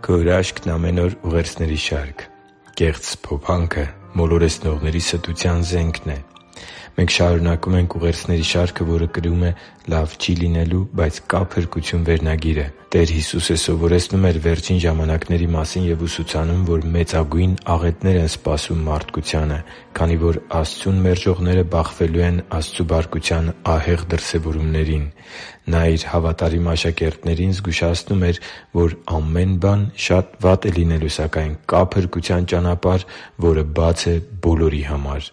Քո հրաշքն ամեն օր ուղերձների շարք։ Կեղծ սփոփանքը մոլորեցնողների ստության զենքն է։ Մենք շարունակում ենք ուղերձների շարքը, որը կրում է «Լավ չի լինելու, բայց կա փրկություն» վերնագիրը։ Տեր Հիսուսը սովորեցնում էր վերջին ժամանակների մասին և ուսուցանում, որ մեծագույն աղետներ են սպասում մարդկությանը, քանի որ Աստծուն մերժողները բախվելու են Աստծու բարկության ահեղ դրսևորումներին։ Նա Իր հավատարիմ աշակերտներին զգուշացնում էր, որ ամեն բան շատ վատ է լինելու, սակայն կա փրկության ճանապարհ, որը բաց է բոլորի համար։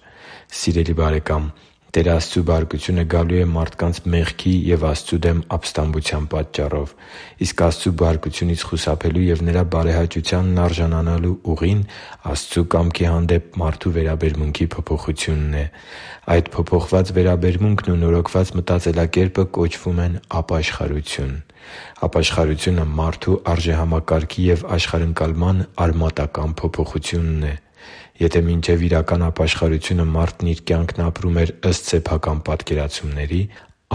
Սիրելի՛ բարեկամ, Տեր Աստծու բարկությունը գալու է մարդկանց մեղքի և Աստծու դեմ ապստամբության պատճառով։ Իսկ Աստծու բարկությունից խուսափելու և Նրա բարեհաճությանն արժանանալու ուղին Աստծու կամքի հանդեպ մարդու վերաբերմունքի փոփոխությունն է։ Այդ փոփոխված վերաբերմունքն ու նորոգված մտածելակերպը կոչվում են ապաշխարություն։ Ապաշխարությունը մարդու արժեհամակարգի և աշխարհընկալման արմատական փոփոխությունն է։ Եթե մինչև իրական ապաշխարությունը մարդն իր կյանքն ապրում էր ըստ սեփական պատկերացումների,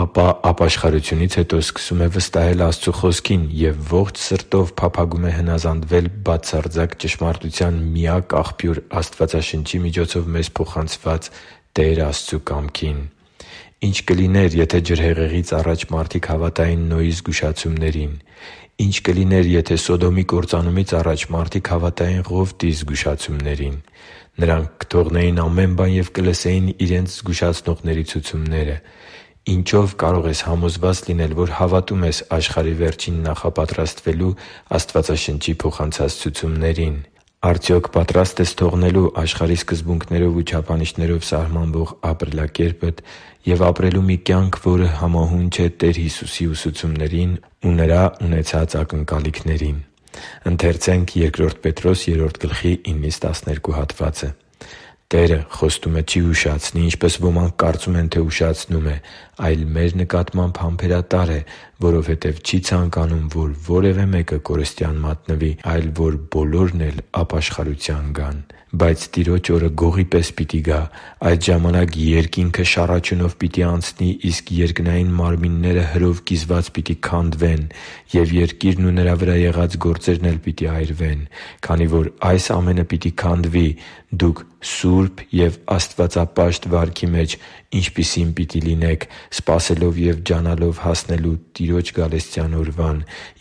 ապա ապաշխարությունից հետո սկսում է վստահել Աստծու Խոսքին և ողջ սրտով փափագում է հնազանդվել բացարձակ ճշմարտության միակ աղբյուր Աստվածաշնչի միջոցով մեզ փոխանցված Տեր Աստծու կամքին։ Ի՞նչ կլիներ, եթե ջրհեղեղից առաջ մարդիկ հավատային Նոյի զգուշացումներին։ Ի՞նչ կլիներ, եթե Սոդոմի կործանումից առաջ մարդիկ հավատային Ղովտի զգուշացումներին։ Նրանք կթողնեին ամեն բան և կլսեին իրենց զգուշացնողների ցուցումները։ Ինչո՞վ կարող ես համոզված լինել, որ հավատում ես աշխարհի վերջին նախապատրաստվելու Աստվածաշնչի փոխանցած ցուցումներին։ Արդյոք պատրա՞ստ ես թողնելու աշխարհի սկզբունքներով ու չափանիշներով սահմանվող ապրելակերպդ և ապրելու մի կյանք, որը համահունչ է Տեր Հիսուսի ուսուցումներին ու Նրա ունեցած ակնկալիքներին։ «Տերը խոստումը չի ուշացնի, ինչպես ոմանք կարծում են, թե ուշացնում է, այլ մեր նկատմամբ համբերատար է, որովհետև չի ցանկանում, որ որևէ մեկը կորստյան մատնվի, այլ որ բոլորն էլ ապաշխարության գան։ Բայց Տիրոջ օրը գողի պես պիտի գա. այդ ժամանակ երկինքը շառաչյունով պիտի անցնի, իսկ երկնային մարմինները հրով կիզված պիտի քանդվեն, և երկիրն ու նրա վրա եղած գործերն էլ պիտի այրվեն։ Քանի որ այս ամենը պիտի քանդվի, դուք սուրբ և աստվածապաշտ վարքի մեջ ինչպիսի՞ն պիտի լինեք, սպասելով և ջանալով հասնելու Տիրոջ գալստյան օրվան,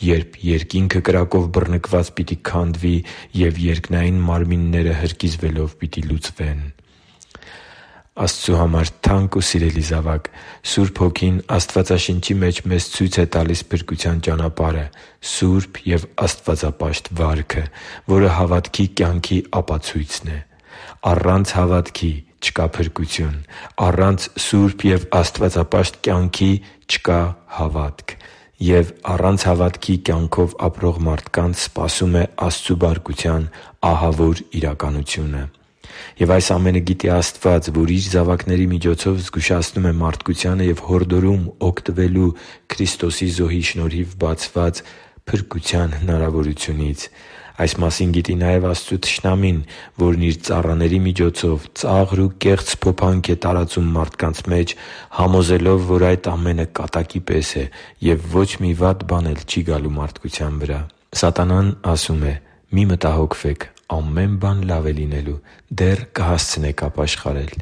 երբ երկինքը կրակով բռնկված պիտի քանդվի, և երկնային մարմինները հրկիզվելով պիտի լուծվեն» (Բ Պետրոս 3.9-12): Աստծու համար թանկ ու սիրելի՛ զավակ, Սուրբ Հոգին Աստվածաշնչի մեջ մեզ ցույց է տալիս փրկության ճանապարհը՝ սուրբ և աստվածապաշտ վարքը, որը հավատքի կյանքի ապացույցն է։ Առանց հավատքի չկա փրկություն։ Առանց սուրբ և աստվածապաշտ կյանքի չկա հավատք։ Եվ առանց հավատքի կյանքով ապրող մարդկանց սպասում է Աստծու բարկության ահավոր իրականությունը։ Եվ այս ամենը գիտի Աստված, որ Իր զավակների միջոցով զգուշացնում է մարդկությանը և հորդորում օգտվելու Քրիստոսի զոհի շնորհիվ բացված փրկության հնարավորությունից։ Այս մասին գիտի նաև Աստծու թշնամին, որն իր ծառաների միջոցով ծաղր ու կեղծ սփոփանք է տարածում մարդկանց մեջ, համոզելով, որ այդ ամենը կատակի պես է, և ոչ մի վատ բան էլ չի գալու մարդկության վրա։ Սատանան ասում է. «Մի մտահոգվեք, ամեն բան լավ է լինելու, դեռ կհասցնեք ապաշխարել»։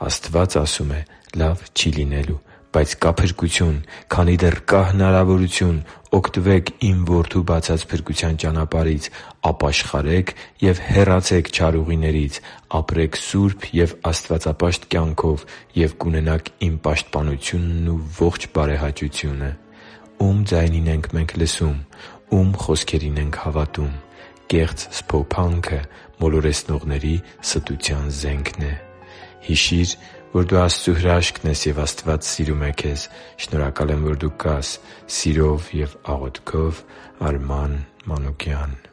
Աստված ասում է. «Լավ չի լինելու, բայց կա փրկություն։ Քանի դեռ կա հնարավորություն, օգտվե՛ք Իմ Որդու բացած փրկության ճանապարհից, ապաշխարե՛ք և հեռացե՛ք չար ուղիներից, ապրե՛ք սուրբ և աստվածապաշտ կյանքով և կունենաք Իմ պաշտպանությունն ու ողջ բարեհաճությունը»։ Ո՞ւմ ձայնին ենք մենք լսում։ Ո՞ւմ խոսքերին ենք հավատում։ Կեղծ սփոփանքը մոլորեցնողների ստության զենքն է։ Հիշի՛ր, որ դու Աստծո հրաշքն ես, և Աստված սիրում է քեզ։ Շնորհակալ եմ, որ դու կա՛ս։ Սիրով և աղոթքով, Արման Մանուկյան։